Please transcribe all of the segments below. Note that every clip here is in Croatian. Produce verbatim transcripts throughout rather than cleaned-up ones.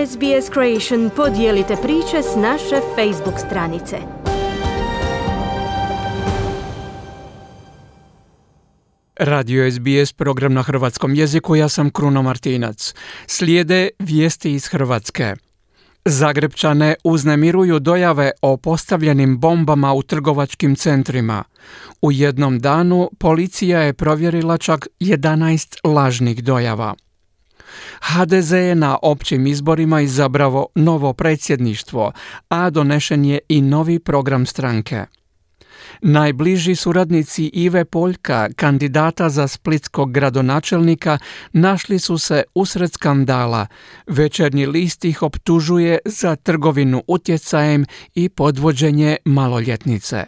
S B S Creation podijelite priče s naše Facebook stranice. Radio S B S, program na hrvatskom jeziku, ja sam Kruno Martinac. Slijede vijesti iz Hrvatske. Zagrebčane uznemiruju dojave o postavljenim bombama u trgovačkim centrima. U jednom danu policija je provjerila čak jedanaest lažnih dojava. H D Z je na općim izborima izabrao novo predsjedništvo, a donešen je i novi program stranke. Najbliži suradnici Ive Poljka, kandidata za splitskog gradonačelnika, našli su se usred skandala. Večernji list ih optužuje za trgovinu utjecajem i podvođenje maloljetnice.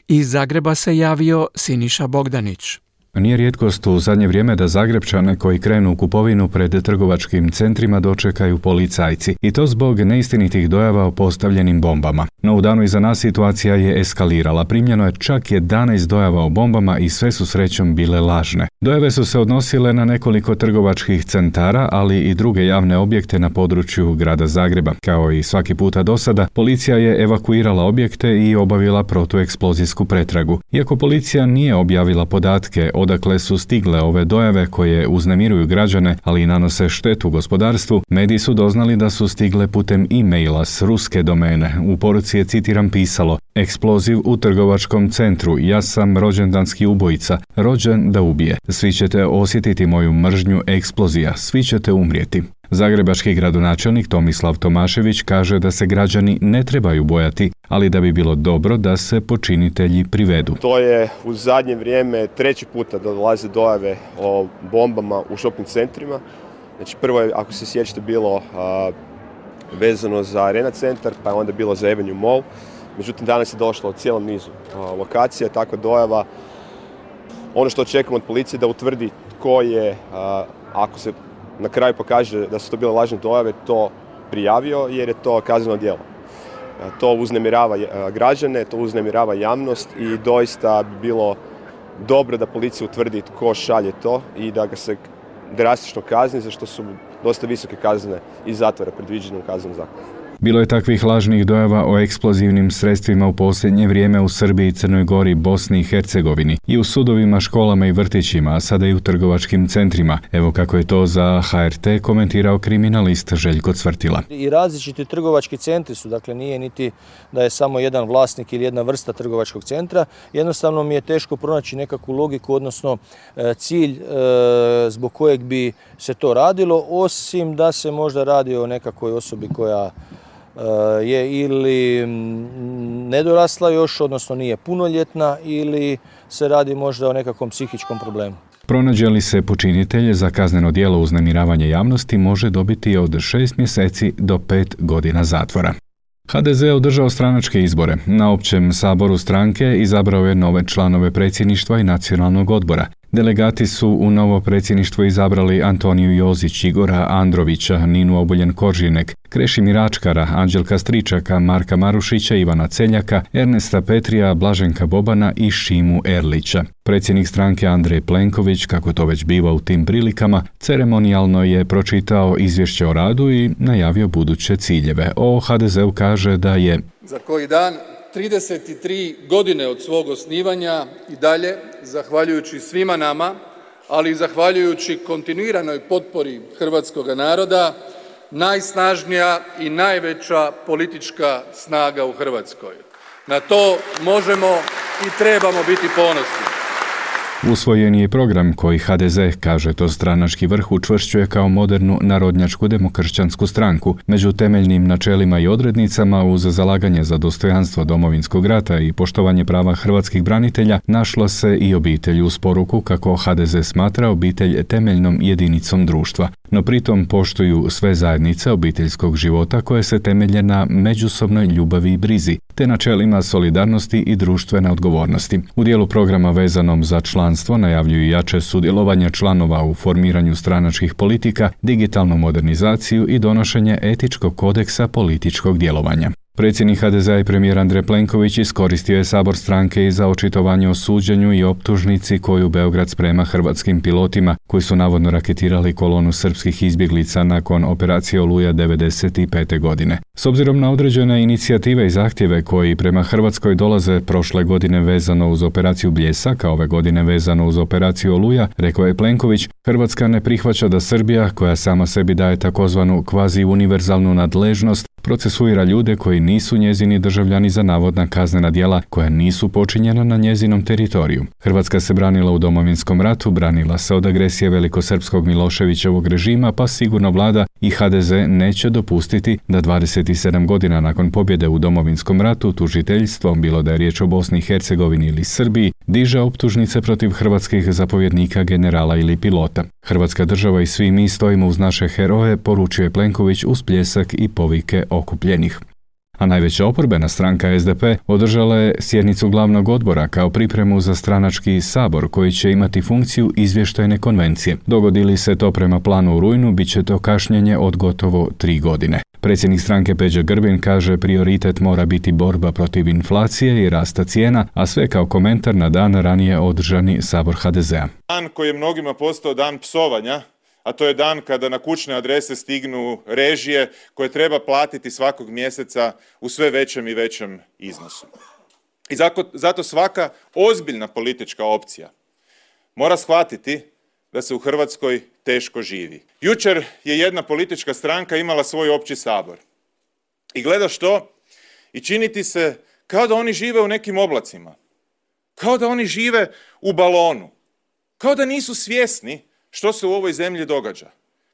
Iz Zagreba se javio Siniša Bogdanić. Nije rijetkost u zadnje vrijeme da Zagrebčane koji krenu u kupovinu pred trgovačkim centrima dočekaju policajci, i to zbog neistinitih dojava o postavljenim bombama. No u danu iza nas situacija je eskalirala. Primljeno je čak jedanaest dojava o bombama i sve su srećom bile lažne. Dojave su se odnosile na nekoliko trgovačkih centara, ali i druge javne objekte na području grada Zagreba. Kao i svaki puta do sada, policija je evakuirala objekte i obavila protueksplozijsku pretragu. Iako policija nije objavila podatke odakle su stigle ove dojave koje uznemiruju građane, ali i nanose štetu gospodarstvu, mediji su doznali da su stigle putem e-maila s ruske domene. U poruci je, citiram, pisalo: eksploziv u trgovačkom centru, ja sam rođendanski ubojica, rođen da ubije. Svi ćete osjetiti moju mržnju, eksplozija, svi ćete umrijeti. Zagrebački gradonačelnik Tomislav Tomašević kaže da se građani ne trebaju bojati, ali da bi bilo dobro da se počinitelji privedu. To je u zadnje vrijeme treći puta da dolaze dojave o bombama u shopping centrima. Znači prvo je, ako se sjećate, bilo a, vezano za Arena centar, pa je onda bilo za Avenue Mall. Međutim, danas je došlo od cijelom nizu a, lokacija, takva dojava. Ono što očekujemo od policije da utvrdi tko je, a, ako se na kraju pokaže da su to bile lažne dojave, to prijavio, jer je to kazneno djelo. To uznemirava građane, to uznemirava javnost i doista bi bilo dobro da policija utvrdi tko šalje to i da ga se drastično kazni, za što su dosta visoke kazne i zatvora predviđene u kaznenom zakonu. Bilo je takvih lažnih dojava o eksplozivnim sredstvima u posljednje vrijeme u Srbiji, Crnoj Gori, Bosni i Hercegovini, i u sudovima, školama i vrtićima, a sada i u trgovačkim centrima. Evo kako je to za H R T komentirao kriminalist Željko Cvrtila. I različiti trgovački centri su, dakle nije niti da je samo jedan vlasnik ili jedna vrsta trgovačkog centra. Jednostavno mi je teško pronaći nekakvu logiku, odnosno cilj zbog kojeg bi se to radilo, osim da se možda radi o nekakvoj osobi koja je ili nedorasla još, odnosno nije punoljetna, ili se radi možda o nekakvom psihičkom problemu. Pronađe li se počinitelj, za kazneno djelo uznemiravanja javnosti može dobiti od šest mjeseci do pet godina zatvora. H D Z je održao stranačke izbore. Na općem saboru stranke izabrao je nove članove predsjedništva i nacionalnog odbora. Delegati su u novo predsjedništvo izabrali Antoniju Jozić, Igora Androvića, Ninu Obuljen-Koržinek, Krešimira Ačkara, Anđelka Stričaka, Marka Marušića, Ivana Celjaka, Ernesta Petrija, Blaženka Bobana i Šimu Erlića. Predsjednik stranke Andrej Plenković, kako to već biva u tim prilikama, ceremonijalno je pročitao izvješće o radu i najavio buduće ciljeve. O H D Z-u kaže da je za koji dan trideset tri godine od svog osnivanja i dalje, zahvaljujući svima nama, ali i zahvaljujući kontinuiranoj potpori hrvatskog naroda, najsnažnija i najveća politička snaga u Hrvatskoj. Na to možemo i trebamo biti ponosni. Usvojen je program koji H D Z, kaže to stranački vrh, učvršćuje kao modernu narodnjačku demokršćansku stranku. Među temeljnim načelima i odrednicama, uz zalaganje za dostojanstvo Domovinskog rata i poštovanje prava hrvatskih branitelja, našla se i obitelj, uz poruku kako H D Z smatra obitelj temeljnom jedinicom društva. No pritom poštuju sve zajednice obiteljskog života koje se temelje na međusobnoj ljubavi i brizi, te načelima solidarnosti i društvene odgovornosti. U dijelu programa vezanom za članstvo najavljuju jače sudjelovanje članova u formiranju stranačkih politika, digitalnu modernizaciju i donošenje etičkog kodeksa političkog djelovanja. Predsjednik ha de zea i premijer Andrej Plenković iskoristio je sabor stranke i za očitovanje o suđenju i optužnici koju Beograd sprema hrvatskim pilotima koji su navodno raketirali kolonu srpskih izbjeglica nakon operacije Oluja devedeset pete. godine. S obzirom na određene inicijative i zahtjeve koji prema Hrvatskoj dolaze prošle godine vezano uz operaciju Bljesak, a ove godine vezano uz operaciju Oluja, rekao je Plenković, Hrvatska ne prihvaća da Srbija, koja sama sebi daje takozvanu kvazi-univerzalnu nadležnost, procesuira ljude koji nisu njezini državljani za navodna kaznena djela koja nisu počinjena na njezinom teritoriju. Hrvatska se branila u Domovinskom ratu, branila se od agresije velikosrpskog Miloševićevog režima, pa sigurno vlada i ha de ze neće dopustiti da dvadeset sedam godina nakon pobjede u Domovinskom ratu tužiteljstvom, bilo da je riječ o Bosni i Hercegovini ili Srbiji, diže optužnice protiv hrvatskih zapovjednika, generala ili pilota. Hrvatska država i svi mi stojimo uz naše heroje, poručuje Plenković uz pljesak i povike okupljenih. A najveća oporbena stranka es de pe održala je sjednicu glavnog odbora kao pripremu za stranački sabor koji će imati funkciju izvještajne konvencije. Dogodi li se to prema planu u rujnu, bit će to kašnjenje od gotovo tri godine. Predsjednik stranke Peđa Grbin kaže prioritet mora biti borba protiv inflacije i rasta cijena, a sve kao komentar na dan ranije održani sabor ha de zea. Dan koji je mnogima postao dan psovanja, a to je dan kada na kućne adrese stignu režije koje treba platiti svakog mjeseca u sve većem i većem iznosu. I zato, zato svaka ozbiljna politička opcija mora shvatiti da se u Hrvatskoj teško živi. Jučer je jedna politička stranka imala svoj opći sabor. I gledaš to i čini ti se kao da oni žive u nekim oblacima. Kao da oni žive u balonu. Kao da nisu svjesni što se u ovoj zemlji događa.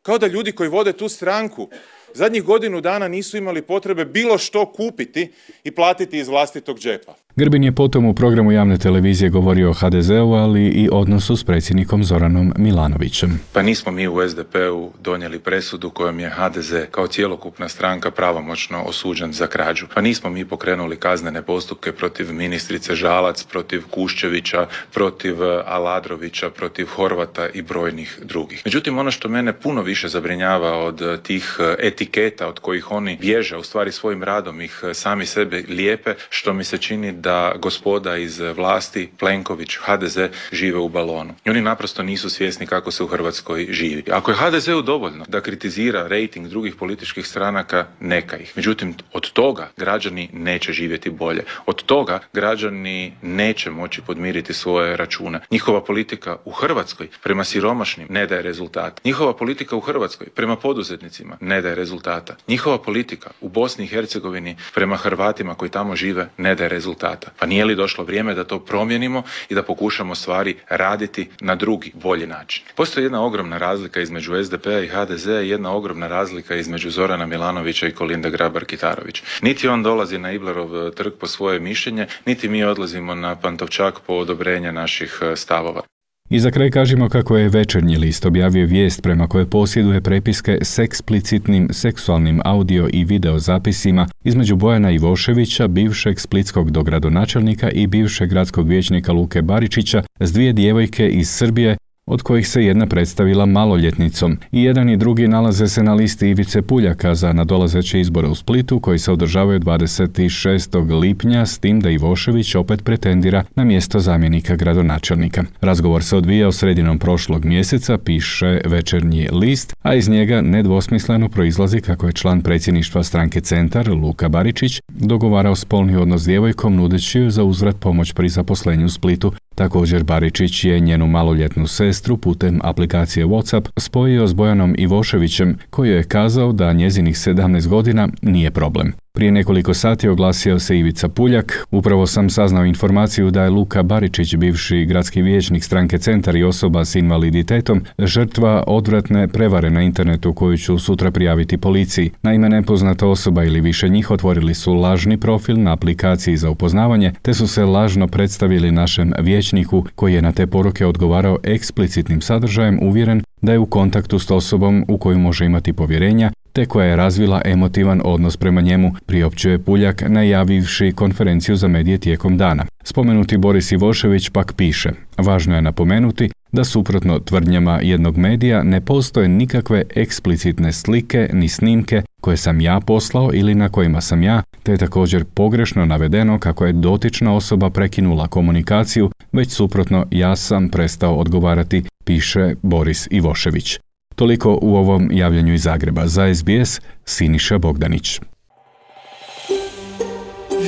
Kao da ljudi koji vode tu stranku zadnjih godinu dana nisu imali potrebe bilo što kupiti i platiti iz vlastitog džepa. Grbin je potom u programu javne televizije govorio o ha de zeu, ali i odnosu s predsjednikom Zoranom Milanovićem. Pa nismo mi u es de pe-u donijeli presudu kojom je ha de ze kao cjelokupna stranka pravomoćno osuđen za krađu. Pa nismo mi pokrenuli kaznene postupke protiv ministrice Žalac, protiv Kuščevića, protiv Aladrovića, protiv Horvata i brojnih drugih. Međutim, ono što mene puno više zabrinjava od tih etiketa od kojih oni bježe, u stvari svojim radom ih sami sebe lijepe, što mi se čini da gospoda iz vlasti, Plenković, ha de ze, žive u balonu. I oni naprosto nisu svjesni kako se u Hrvatskoj živi. Ako je ha de zeu dovoljno da kritizira rejting drugih političkih stranaka, neka ih. Međutim, od toga građani neće živjeti bolje. Od toga građani neće moći podmiriti svoje račune. Njihova politika u Hrvatskoj prema siromašnim ne daje rezultat. Njihova politika u Hrvatskoj prema poduzetnicima ne daje rezultata. Njihova politika u Bosni i Hercegovini prema Hrvatima koji tamo žive ne daje rezultata. Pa nije li došlo vrijeme da to promijenimo i da pokušamo stvari raditi na drugi, bolji način? Postoji jedna ogromna razlika između es de pe-a i ha de zea i jedna ogromna razlika između Zorana Milanovića i Kolinde Grabar-Kitarović. Niti on dolazi na Iblerov trg po svoje mišljenje, niti mi odlazimo na Pantovčak po odobrenje naših stavova. I za kraj kažemo kako je Večernji list objavio vijest prema kojoj posjeduje prepiske s eksplicitnim seksualnim audio i video zapisima između Bojana Ivoševića, bivšeg splitskog dogradonačelnika i bivšeg gradskog vijećnika Luke Baričića s dvije djevojke iz Srbije, od kojih se jedna predstavila maloljetnicom. I jedan i drugi nalaze se na listi Ivice Puljaka za nadolazeće izbore u Splitu koji se održavaju dvadeset šestog lipnja, s tim da Ivošević opet pretendira na mjesto zamjenika gradonačelnika. Razgovor se odvijao sredinom prošlog mjeseca, piše Večernji list, a iz njega nedvosmisleno proizlazi kako je član predsjedništva stranke Centar, Luka Baričić, dogovarao spolni odnos s djevojkom nudeći joj za uzvrat pomoć pri zaposlenju u Splitu. Također Baričić je njenu maloljetnu sestru putem aplikacije WhatsApp spojio s Bojanom Ivoševićem, koji je kazao da njezinih sedamnaest godina nije problem. Prije nekoliko sati oglasio se Ivica Puljak. Upravo sam saznao informaciju da je Luka Baričić, bivši gradski vijećnik stranke Centar i osoba s invaliditetom, žrtva odvratne prevare na internetu koju ću sutra prijaviti policiji. Naime, nepoznata osoba ili više njih otvorili su lažni profil na aplikaciji za upoznavanje, te su se lažno predstavili našem vijećniku koji je na te poruke odgovarao eksplicitnim sadržajem, uvjeren da je u kontaktu s osobom u koju može imati povjerenja, te koja je razvila emotivan odnos prema njemu, priopćuje Puljak najavivši konferenciju za medije tijekom dana. Spomenuti Boris Ivošević pak piše: važno je napomenuti da suprotno tvrdnjama jednog medija ne postoje nikakve eksplicitne slike ni snimke koje sam ja poslao ili na kojima sam ja, te je također pogrešno navedeno kako je dotična osoba prekinula komunikaciju, već suprotno ja sam prestao odgovarati, piše Boris Ivošević. Toliko u ovom javljanju iz Zagreba. Za es be es, Siniša Bogdanić.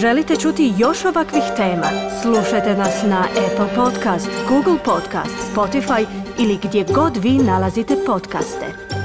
Želite čuti još ovakvih tema? Slušajte nas na Apple Podcast, Google Podcast, Spotify ili gdje god vi nalazite podcaste.